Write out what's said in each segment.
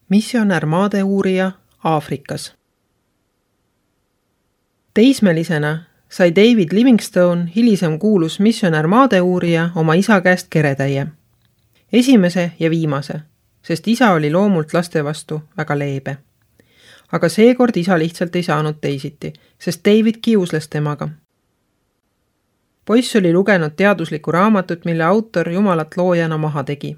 Missionär maadeuurija Aafrikas. Teismelisena sai David Livingstone, hilisem kuulus missionär maadeuurija, oma isa käest keretäie. Esimese ja viimase, sest isa oli loomult laste vastu väga leebe. Aga seekord isa lihtsalt ei saanud teisiti, sest David kiusles temaga. Poiss oli lugenud teaduslikku raamatut, mille autor Jumalat loojana maha tegi.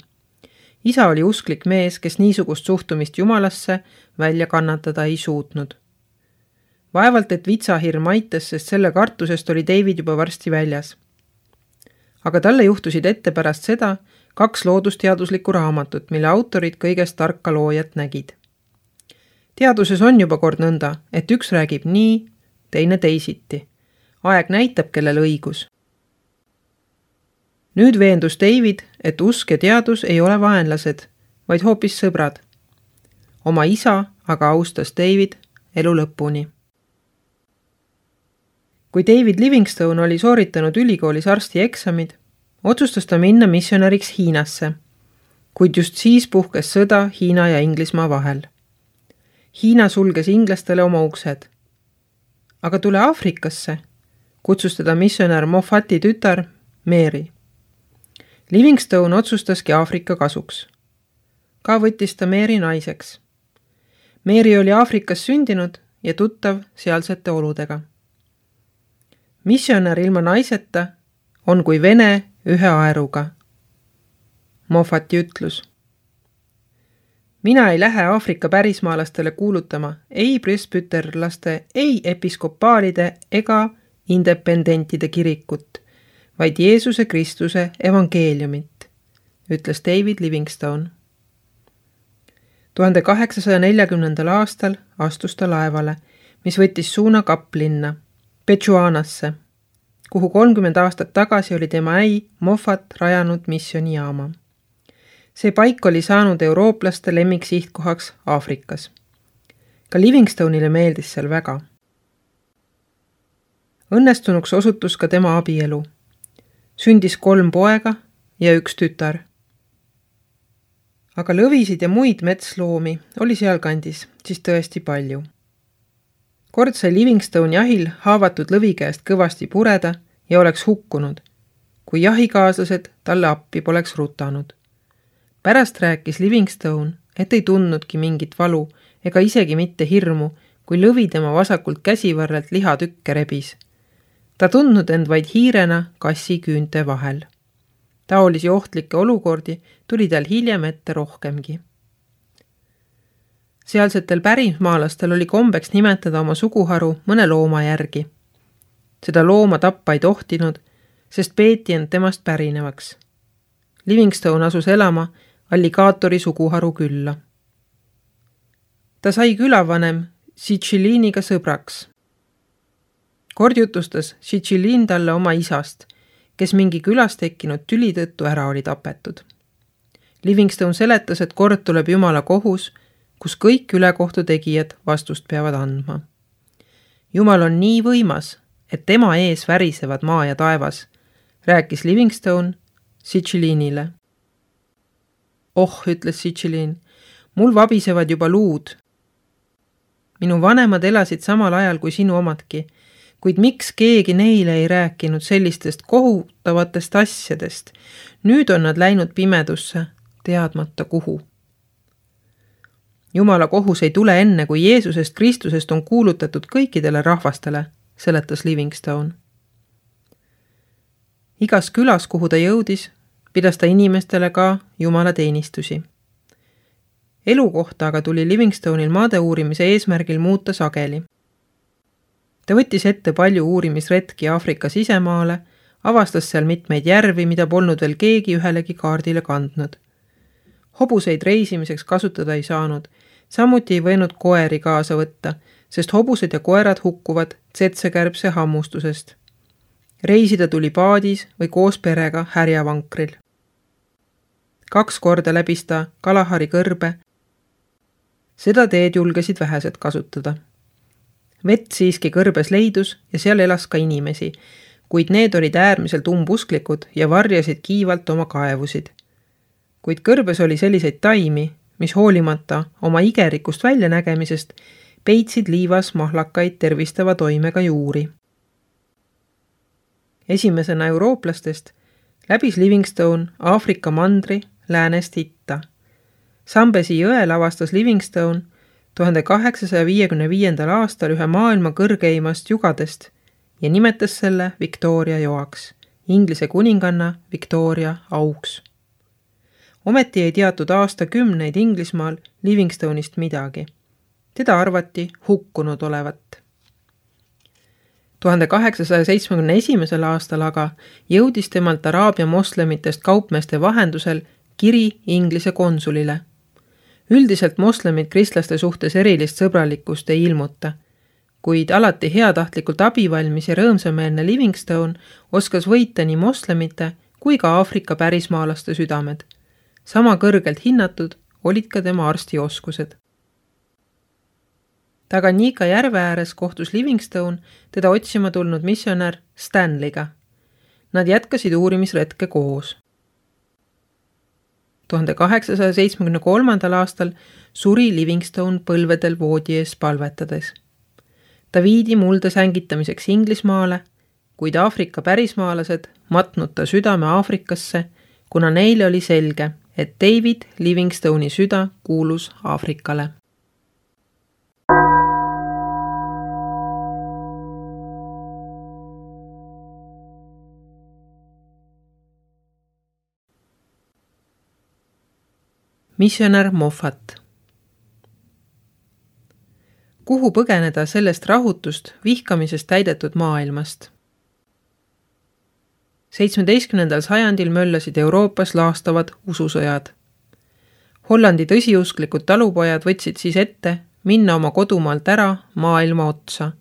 Isa oli usklik mees, kes niisugust suhtumist Jumalasse välja kannatada ei suutnud. Vaevalt, et vitsahirm aitas, sest selle kartusest oli David juba varsti väljas. Aga talle juhtusid ette pärast seda 2 loodusteaduslikku raamatut, mille autorid kõigest tarka loojat nägid. Teaduses on juba kord nõnda, et üks räägib nii, teine teisiti. Aeg näitab, kellel õigus. Nüüd veendus David, et usk ja teadus ei ole vaenlased, vaid hoopis sõbrad. Oma isa aga austas David elu lõpuni. Kui David Livingstone oli sooritanud ülikoolis arsti eksamid, otsustas ta minna missionäriks Hiinasse, kuid just siis puhkes sõda Hiina ja Inglismaa vahel. Hiina sulges inglastele oma uksed. Aga tule Aafrikasse, kutsus teda missionär Moffati tütar Mary. Livingstone otsustaski Aafrika kasuks. Ka võttis ta Mary naiseks. Mary oli Aafrikas sündinud ja tuttav sealsete oludega. Missionär ilma naiseta on kui Vene ühe aeruga. Moffati ütlus. Mina ei lähe Aafrika pärismaalastele kuulutama ei presbüterlaste, ei episkopaalide ega independentide kirikut, vaid Jeesuse Kristuse evangeeliumit, ütles David Livingstone. 1840. aastal astus ta laevale, mis võttis suuna Kaplinna, Petšuanasse, kuhu 30 aastat tagasi oli tema äi Moffat rajanud missionijaama. See paik oli saanud eurooplaste lemmiksihtkohaks Aafrikas. Ka Livingstone'ile meeldis seal väga. Õnnestunuks osutus ka tema abielu. Sündis 3 poega ja 1 tütar. Aga lõvisid ja muid metsloomi oli sealkandis siis tõesti palju. Kord sai Livingstone jahil haavatud lõvi käest kõvasti pureda ja oleks hukkunud, kui jahikaaslased talle appi poleks rutanud. Pärast rääkis Livingstone, et ei tundnudki mingit valu ega isegi mitte hirmu, kui lõvi tema vasakult käsivarrelt lihatükke rebis. Ta tundnud end vaid hiirena kassi küünte vahel. Taolisi ohtlikke olukordi tuli tal hiljem ette rohkemgi. Sealsetel pärismaalastel oli kombeks nimetada oma suguharu mõne looma järgi. Seda looma tappa ei tohtinud, sest peeti end temast pärinevaks. Livingstone asus elama alligaatori suguharu külla. Ta sai külavanem Siciliiniga sõbraks. Kord jutustas Siciliin talle oma isast, kes mingi külas tekkinud tüli tõttu ära oli tapetud. Livingstone seletas, et kord tuleb Jumala kohus, kus kõik ülekohtu tegijad vastust peavad andma. Jumal on nii võimas, et tema ees värisevad maa ja taevas, rääkis Livingstone Siciliinile. Oh, ütles Siciliin, mul vabisevad juba luud. Minu vanemad elasid samal ajal kui sinu omadki, kuid miks keegi neile ei rääkinud sellistest kohutavatest asjadest? Nüüd on nad läinud pimedusse, teadmata kuhu. Jumala kohus ei tule enne, kui Jeesusest Kristusest on kuulutatud kõikidele rahvastele, seletas Livingstone. Igas külas, kuhu ta jõudis, pidas ta inimestele ka Jumala teenistusi. Elukohta aga tuli Livingstone'il maade uurimise eesmärgil muuta sageli. Ta võttis ette palju uurimisretki Aafrika sisemaale, avastas seal mitmeid järvi, mida polnud veel keegi ühelegi kaardile kandnud. Hobuseid reisimiseks kasutada ei saanud, samuti ei võinud koeri kaasa võtta, sest hobused ja koerad hukkuvad tsetsekärbse hammustusest. Reisida tuli paadis või koos perega härjavankril. 2 korda läbis ta Kalahari kõrbe. Seda teed julgesid vähesed kasutada. Vett siiski kõrbes leidus ja seal elas ka inimesi, kuid need olid äärmiselt umbusklikud ja varjasid kiivalt oma kaevusid. Kuid kõrbes oli selliseid taimi, mis hoolimata oma igerikust väljanägemisest peitsid liivas mahlakaid tervistava toimega juuri. Esimesena eurooplastest läbis Livingstone Aafrika mandri läänest itta. Zambezi jõel avastas Livingstone 1855. aastal ühe maailma kõrgeimast jugadest ja nimetas selle Victoria joaks, Inglise kuninganna Victoria auks. Ometi ei teatud aastakümneid Inglismaal Livingstone'ist midagi. Teda arvati hukkunud olevat. 1871. aastal aga jõudis temalt Araabia moslemitest kaupmeeste vahendusel kiri Inglise konsulile. Üldiselt moslemid kristlaste suhtes erilist sõbralikkust ei ilmuta, kuid alati heatahtlikult abivalmis ja rõõmsameelne Livingstone oskas võita nii moslemite kui ka Aafrika pärismaalaste südamed. Sama kõrgelt hinnatud olid ka tema arstioskused. Tanganyika järve ääres kohtus Livingstone teda otsima tulnud missionär Stanleyga. Nad jätkasid uurimisretke koos. 1873. aastal suri Livingstone põlvedel voodi ees palvetades. Ta viidi mulda sängitamiseks Inglismaale, kuid Aafrika pärismaalased matnud ta südame Aafrikasse, kuna neile oli selge, et David Livingstone'i süda kuulus Aafrikale. Missionär Moffat. Kuhu põgeneda sellest rahutust, vihkamisest täidetud maailmast? 17. sajandil möllasid Euroopas laastavad ususõjad. Hollandi tõsiusklikud talupojad võtsid siis ette minna oma kodumaalt ära maailma otsa.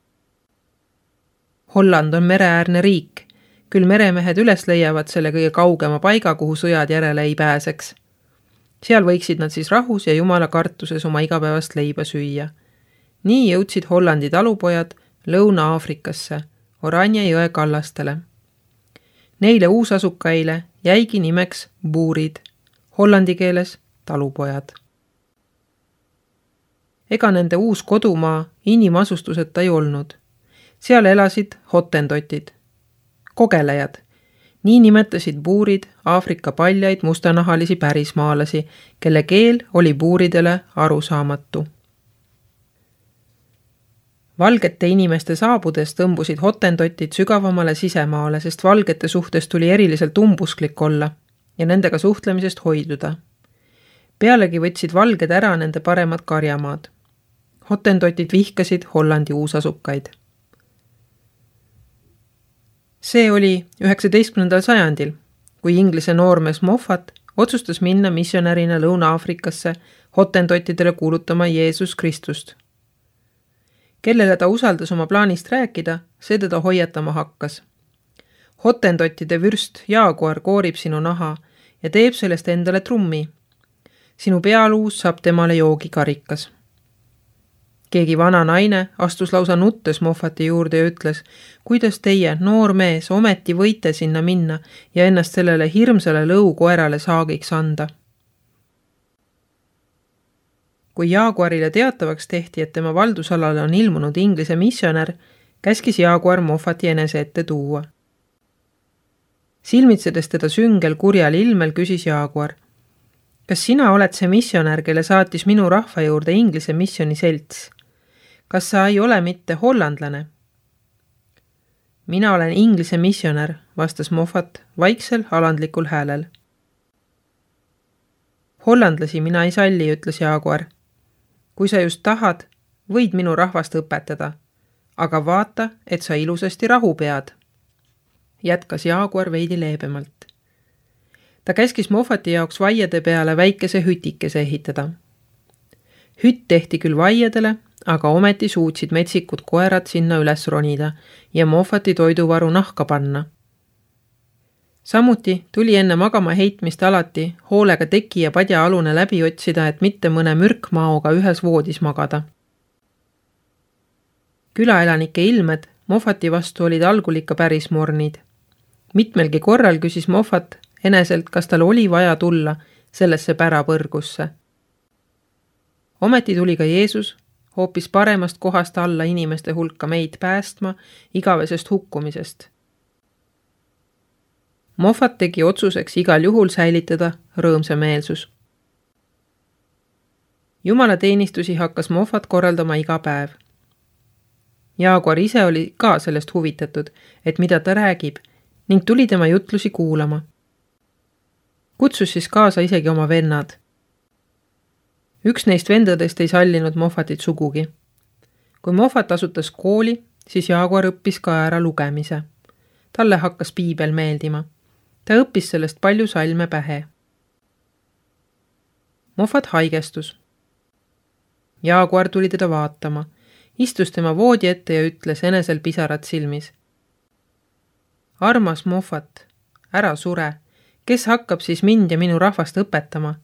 Holland on mereäärne riik, küll meremehed üles leiavad selle kõige kaugema paiga, kuhu sõjad järele ei pääseks. Seal võiksid nad siis rahus ja jumala kartuses oma igapäevast leiba süüa. Nii jõudsid Hollandi talupojad Lõuna-Aafrikasse, Oranje jõe kallastele. Neile uusasukaile jäigi nimeks buurid, hollandi keeles talupojad. Ega nende uus kodumaa inimasustuseta ei olnud. Seal elasid hotendotid, kogelejad. Nii nimetasid buurid Aafrika paljaid mustanahalisi pärismaalasi, kelle keel oli buuridele arusaamatu. Valgete inimeste saabudes tõmbusid hotendotid sügavamale sisemaale, sest valgete suhtes tuli eriliselt umbusklik olla ja nendega suhtlemisest hoiduda. Pealegi võtsid valged ära nende paremad karjamaad. Hotendotid vihkasid Hollandi uusasukaid. See oli 19. sajandil, kui Inglise noormees Moffat otsustas minna missionärina Lõuna-Aafrikasse hotendotidele kuulutama Jeesus Kristust. Kellele ta usaldas oma plaanist rääkida, see teda hoiatama hakkas. Hotendottide vürst Jaaguar koorib sinu naha ja teeb sellest endale trummi. Sinu pealuus saab temale joogikarikas. Keegi vana naine astus lausa nuttes Moffati juurde ja ütles, kuidas teie, noor mees, ometi võite sinna minna ja ennast sellele hirmsale lõukoerale saagiks anda. Kui Jaaguarile teatavaks tehti, et tema valdusalale on ilmunud Inglise missionär, käskis Jaaguar Moffati enese ette tuua. Silmitsedes teda süngel kurjal ilmel küsis Jaaguar, kas sina oled see missionär, kelle saatis minu rahva juurde Inglise missioni selts? Kas sa ei ole mitte hollandlane? Mina olen Inglise missionär, vastas Moffat vaiksel alandlikul häälel. Hollandlasi mina ei salli, ütles Jaaguar. Kui sa just tahad, võid minu rahvast õpetada, aga vaata, et sa ilusasti rahu pead. Jätkas Jaaguar veidi leebemalt. Ta käskis Moffati jaoks vaiade peale väikese hütikese ehitada. Hütt tehti küll vaiadele, aga ometi suutsid metsikud koerad sinna üles ronida ja Moffati toiduvaru nahka panna. Samuti tuli enne magama heitmist alati hoolega teki ja padja alune läbi otsida, et mitte mõne mürkmaoga ühes voodis magada. Külaelanike ilmed Moffati vastu olid algul ikka päris mornid. Mitmelgi korral küsis Moffat eneselt, kas tal oli vaja tulla sellesse pärapõrgusse. Ometi tuli ka Jeesus hoopis paremast kohast alla inimeste hulka meid päästma igavesest hukkumisest. Moffat tegi otsuseks igal juhul säilitada rõõmsa meelsus. Jumala teenistusi hakkas Moffat korraldama iga päev. Jaguar ise oli ka sellest huvitatud, et mida ta räägib, ning tuli tema jutlusi kuulama. Kutsus siis kaasa isegi oma vennad. Üks neist vendadest ei sallinud Moffatit sugugi. Kui Moffat asutas kooli, siis Jaguar õppis ka ära lugemise. Talle hakkas piibel meeldima. Ta õppis sellest palju salme pähe. Moffat haigestus. Jaguar tuli teda vaatama, istus tema voodi ette ja ütles enesel pisarad silmis. Armas Moffat, ära sure, kes hakkab siis mind ja minu rahvast õpetama?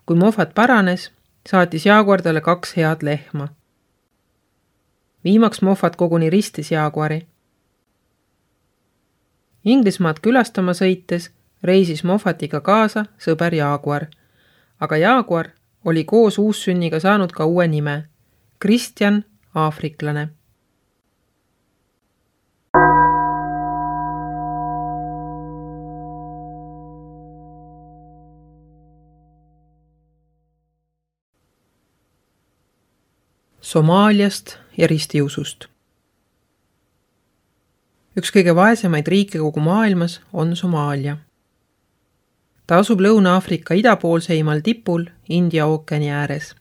Kui Moffat paranes, saatis Jaguar talle 2 head lehma. Viimaks Moffat koguni ristis Jaguari. Inglismaad külastama sõites reisis Moffatiga kaasa sõber Jaguar, aga Jaguar oli koos uussünniga saanud ka uue nime, Kristjan Aafriklane. Somaaliast ja ristiusust. Üks kõige vaesemaid riike kogu maailmas on Somaalia. Ta asub Lõuna-Aafrika idapoolseimal tipul India ookeani ääres.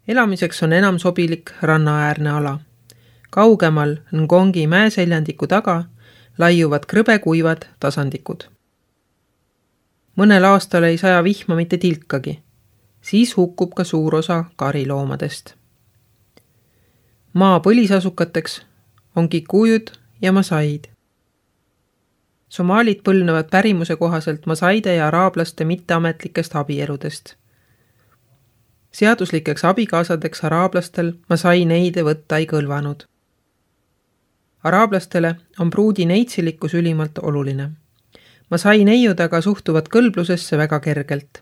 Elamiseks on enam sobilik rannaäärne ala. Kaugemal Ngongi mäeseljandiku taga laiuvad krõbekuivad tasandikud. Mõnel aastal ei saja vihma mitte tilkagi, siis hukkub ka suur osa kariloomadest. Maa põlisasukateks on kikujud ja masaid. Somaalid põlnevad pärimuse kohaselt masaide ja araablaste mitteametlikest abieludest. Seaduslikeks abikaasadeks araablastel masai neide võtta ei kõlvanud. Araablastele on pruudi neitsilikkus ülimalt oluline. Masai neiud aga suhtuvad kõlblusesse väga kergelt.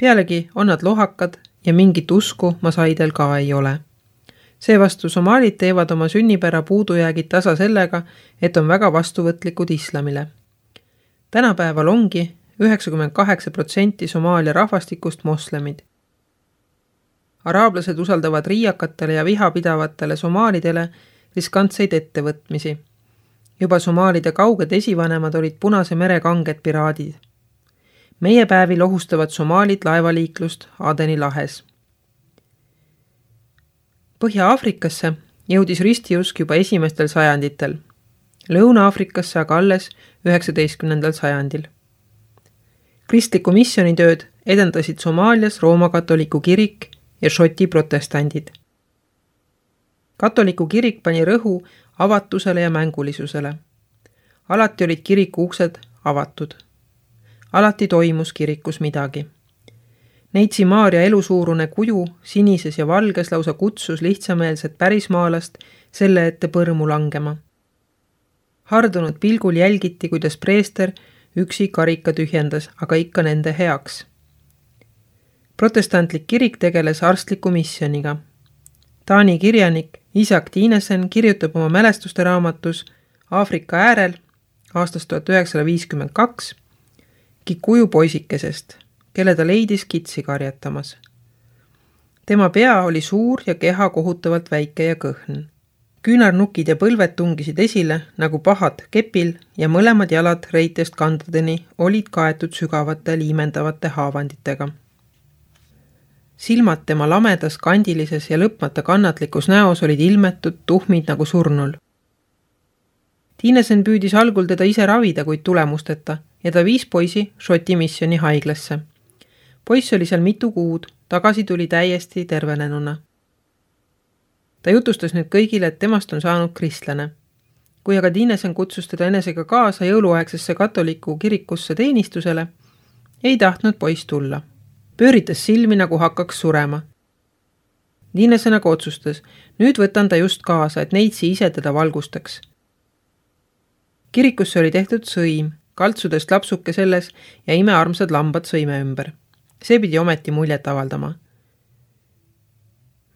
Pealegi on nad lohakad ja mingit usku masaidel ka ei ole. Seevastu somaalid teevad oma sünnipära puudujäägid tasa sellega, et on väga vastuvõtlikud islamile. Tänapäeval ongi 98% Somaalia rahvastikust moslemid. Araablased usaldavad riiakatele ja vihapidavatele somaalidele riskantseid ettevõtmisi. Juba somaalide kauged esivanemad olid Punase mere kanged piraadid. Meie päevil ohustavad somaalid laevaliiklust Adeni lahes. Põhja-Aafrikasse jõudis ristiusk juba esimestel sajanditel, Lõuna-Aafrikasse aga alles 19. sajandil. Kristliku missionitööd edendasid Somaalias Rooma katoliku kirik ja Šoti protestandid. Katoliku kirik pani rõhu avatusele ja mängulisusele. Alati olid kiriku uksed avatud. Alati toimus kirikus midagi. Neitsi Maaria elusuurune kuju sinises ja valges lausa kutsus lihtsameelset pärismaalast selle ette põrmu langema. Hardunud pilgul jälgiti, kuidas preester üksi karika tühjendas, aga ikka nende heaks. Protestantlik kirik tegeles arstliku missioniga. Taani kirjanik Isak Dinesen kirjutab oma mälestuste raamatus Aafrika äärel aastast 1952 kikuju poisikesest, kelle ta leidis kitsi karjatamas. Tema pea oli suur ja keha kohutavalt väike ja kõhn. Küünarnukid ja põlved tungisid esile nagu pahad kepil ja mõlemad jalad reitest kandadeni olid kaetud sügavate liimendavate haavanditega. Silmad tema lamedas, kandilises ja lõpmata kannatlikus näos olid ilmetud tuhmid nagu surnul. Dinesen püüdis algul teda ise ravida, kuid tulemusteta ja ta viis poisi Šoti missioni haiglasse. Poiss oli seal mitu kuud, tagasi tuli täiesti tervenenuna. Ta jutustas nüüd kõigile, et temast on saanud kristlane. Kui aga Dinesen kutsus teda enesega kaasa jõuluaegsesse katoliku kirikusse teenistusele, ei tahtnud poiss tulla. Pööritas silmi, nagu hakkaks surema. Dinesen aga otsustas, nüüd võtan ta just kaasa, et neitsi ise teda valgustaks. Kirikusse oli tehtud sõim, kaltsudest lapsuke selles ja imearmsad lambad sõime ümber. See pidi ometi muljet avaldama.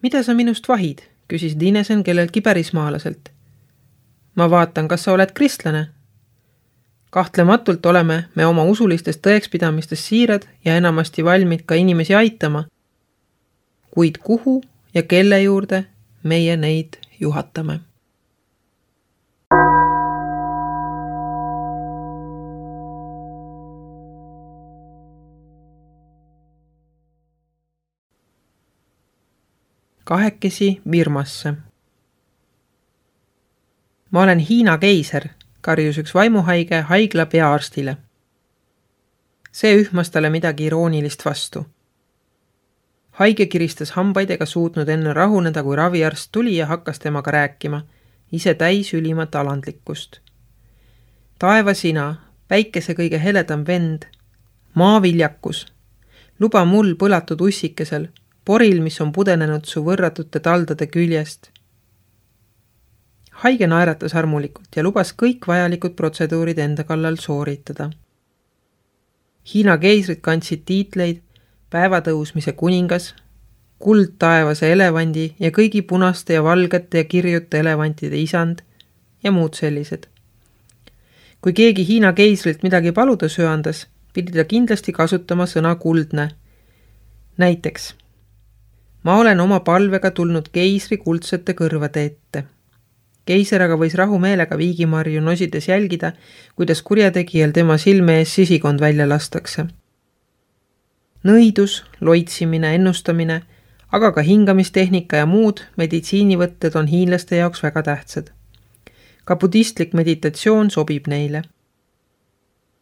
Mida sa minust vahid, küsis Dinesen kelleltki pärismaalaselt. Ma vaatan, kas sa oled kristlane. Kahtlematult oleme me oma usulistest tõekspidamistest siirad ja enamasti valmid ka inimesi aitama. Kuid kuhu ja kelle juurde meie neid juhatame? Kahekesi Birmasse. Ma olen Hiina keiser, karjus üks vaimuhaige haigla peaarstile. See ühmas talle midagi iroonilist vastu. Haige kiristas hambaid ega suutnud enne rahuneda, kui raviarst tuli ja hakkas temaga rääkima, ise täis ülimat alandlikkust. Taeva sina, päikese kõige heledam vend, maaviljakus, luba mul põlatud ussikesel, poril, mis on pudenenud su võrratute taldade küljest. Haige naeratas armulikult ja lubas kõik vajalikud protseduurid enda kallal sooritada. Hiina keisrid kandsid tiitleid päevatõusmise kuningas, kuldtaevase elevandi ja kõigi punaste ja valgete ja kirjute elevantide isand ja muud sellised. Kui keegi Hiina keisrilt midagi paluda söandas, pidi ta kindlasti kasutama sõna kuldne. Näiteks, ma olen oma palvega tulnud keisri kuldsete kõrvade ette. Keiser aga võis rahumeelega viigimarju nosides jälgida, kuidas kurjategijal tema silme ees sisikond välja lastakse. Nõidus, loitsimine, ennustamine, aga ka hingamistehnika ja muud meditsiinivõtted on hiinlaste jaoks väga tähtsad. Ka budistlik meditatsioon sobib neile.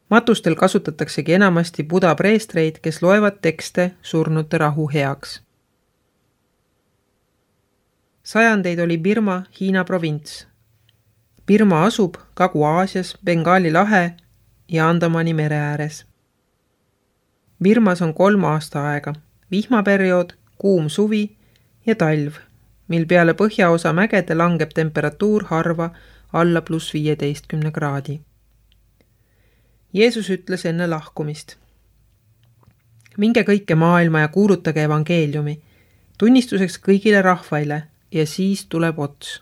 Matustel kasutataksegi enamasti buda preestreid, kes loevad tekste surnute rahu heaks. Sajandeid oli Birma Hiina provints. Birma asub Kagu-Aasias, Bengaali lahe ja Andamani mere ääres. Birmas on 3 aastaaega, vihmaperiood, kuum suvi ja talv, mil peale põhjaosa mägede langeb temperatuur harva alla +15 kraadi. Jeesus ütles enne lahkumist. Minge kõike maailma ja kuulutage evangeeliumi, tunnistuseks kõigile rahvaile ja siis tuleb ots.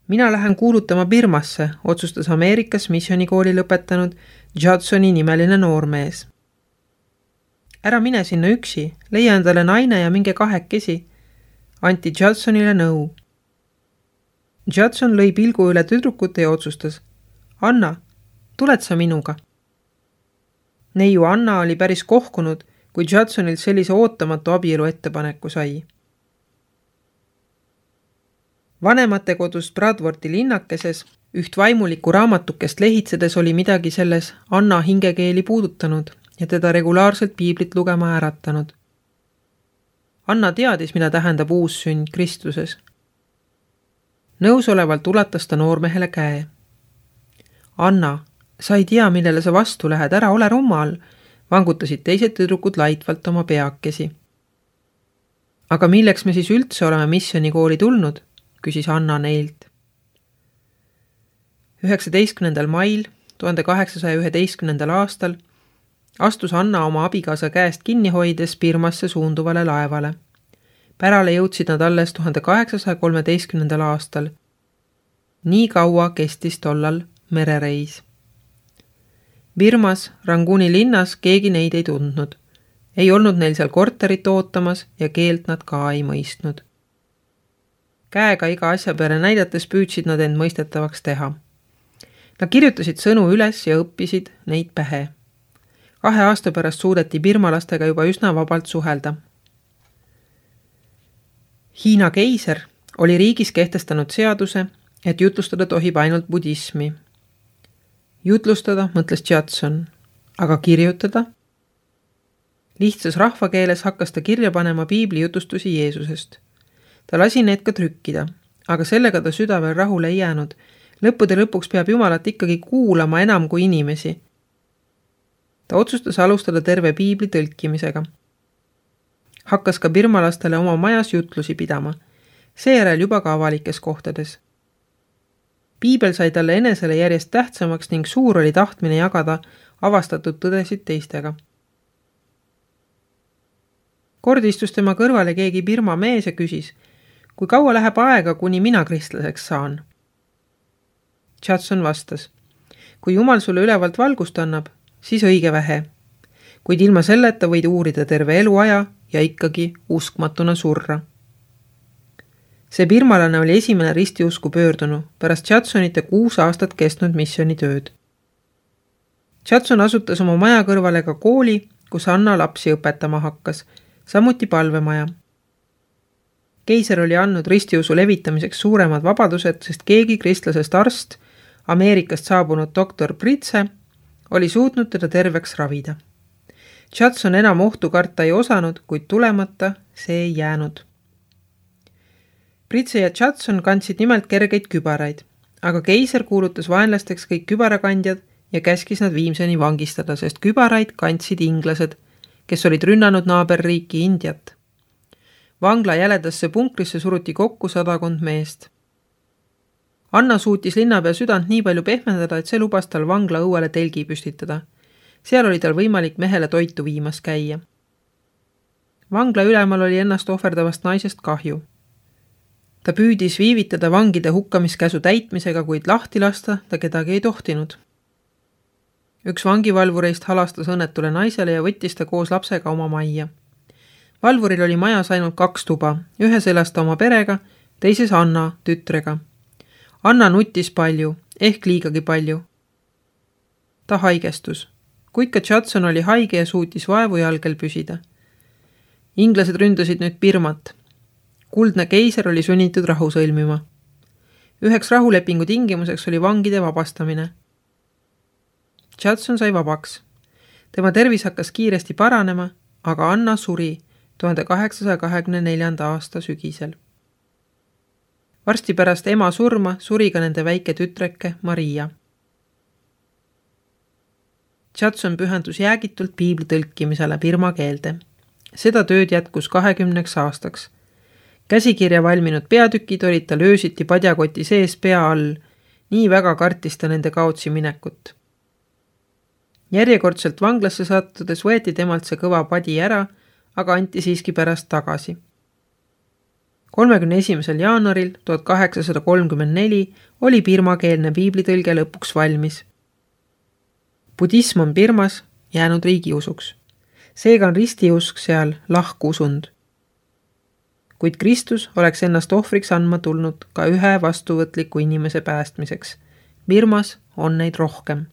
Mina lähen kuulutama Birmasse, otsustas Ameerikas missionikooli lõpetanud Judsoni nimeline noormees. Ära mine sinna üksi, leia endale naine ja minge 2, anti Judsonile nõu. Judson lõi pilgu üle tüdrukute ja otsustas, Anna, tuled sa minuga? Neiu Anna oli päris kohkunud, kui Judsonilt sellise ootamatu abielu ettepaneku sai. Vanemate kodust Bradworthi linnakeses üht vaimulikku raamatukest lehitsedes oli midagi selles Anna hingekeeli puudutanud ja teda regulaarselt piiblit lugema äratanud. Anna teadis, mida tähendab uus sünd Kristuses. Nõusolevalt ulatas ta noormehele käe. Anna, sa ei tea, millele sa vastu lähed, ära ole rummal, vangutasid teised tüdrukud laitvalt oma peakesi. Aga milleks me siis üldse oleme missionikooli tulnud, küsis Anna neilt. 19. mail 1811. aastal astus Anna oma abikaasa käest kinni hoides Birmasse suunduvale laevale. Pärale jõudsid nad alles 1813. aastal. Nii kaua kestis tollal merereis. Birmas, Ranguni linnas keegi neid ei tundnud. Ei olnud neil seal korterit ootamas ja keelt nad ka ei mõistnud. Käega iga asja peale näidates püüdsid nad end mõistetavaks teha. Nad kirjutasid sõnu üles ja õppisid neid pähe. 2 aasta pärast suudeti birmalastega juba üsna vabalt suhelda. Hiina keiser oli riigis kehtestanud seaduse, et jutlustada tohib ainult budismi. Jutlustada, mõtles Judson, aga kirjutada? Lihtsas rahvakeeles hakkas ta kirja panema piibli jutustusi Jeesusest. Ta lasi need ka trükkida, aga sellega ta süda veel rahule ei jäänud. Lõppude lõpuks peab Jumalat ikkagi kuulama enam kui inimesi. Ta otsustas alustada terve piibli tõlkimisega. Hakkas ka birmalastele oma majas jutlusi pidama, seejärel juba ka avalikes kohtades. Piibel sai talle enesele järjest tähtsamaks ning suur oli tahtmine jagada avastatud tõdesid teistega. Kord istus tema kõrvale keegi Birma mees ja küsis, kui kaua läheb aega, kuni mina kristlaseks saan? Judson vastas, kui Jumal sulle ülevalt valgust annab, siis õige vähe. Kuid ilma selleta võid uurida terve eluaja ja ikkagi uskmatuna surra. See birmalane oli esimene ristiusku pöördunu pärast Judsonite 6 aastat kestnud missioonitööd. Judson asutas oma maja kõrvale ka kooli, kus Anna lapsi õpetama hakkas, samuti palvemaja. Keiser oli andnud ristiusu levitamiseks suuremad vabadused, sest keegi kristlasest arst, Ameerikast saabunud doktor Pritse, oli suutnud teda terveks ravida. Judson enam ohtu karta ei osanud, kuid tulemata see ei jäänud. Pritse ja Judson kandsid nimelt kergeid kübaraid, aga keiser kuulutas vaenlasteks kõik kübarakandjad ja käskis nad viimseni vangistada, sest kübaraid kandsid inglased, kes olid rünnanud naaberriiki Indiat. Vangla jäledasse punkrisse suruti kokku 100 meest. Anna suutis linnapea südant nii palju pehmendada, et see lubas tal vangla õuele telgi püstitada. Seal oli tal võimalik mehele toitu viimas käia. Vangla ülemal oli ennast ohverdavast naisest kahju. Ta püüdis viivitada vangide hukkamiskäsu täitmisega, kuid lahti lasta ta kedagi ei tohtinud. Üks vangivalvureist halastas õnnetule naisele ja võttis ta koos lapsega oma majja. Valvuril oli majas ainult 2 tuba, ühes elas ta oma perega, teises Anna tütrega. Anna nuttis palju, ehk liigagi palju. Ta haigestus, kuid ka Judson oli haige ja suutis vaevu jalgel püsida. Inglased ründasid nüüd Birmat. Kuldne keiser oli sunnitud rahu sõlmima. Üheks rahulepingu tingimuseks oli vangide vabastamine. Judson sai vabaks. Tema tervis hakkas kiiresti paranema, aga Anna suri 1824. aasta sügisel. Varsti pärast ema surma suri ka nende väike tütreke Maria. Judson pühendus jäägitult piibli tõlkimisele birma keelde. Seda tööd jätkus 20 aastaks. Käsikirja valminud peatükid olid tal öösiti padjakoti sees pea all, nii väga kartis ta nende kaotsi minekut. Järjekordselt vanglasse sattudes võeti temalt see kõva padi ära, aga anti siiski pärast tagasi. 31. jaanuaril 1834 oli birmakeelne piiblitõlge lõpuks valmis. Budism on Birmas jäänud riigiusuks. Seega on ristiusk seal lahkusund. Kuid Kristus oleks ennast ohvriks andma tulnud ka ühe vastuvõtliku inimese päästmiseks. Birmas on neid rohkem.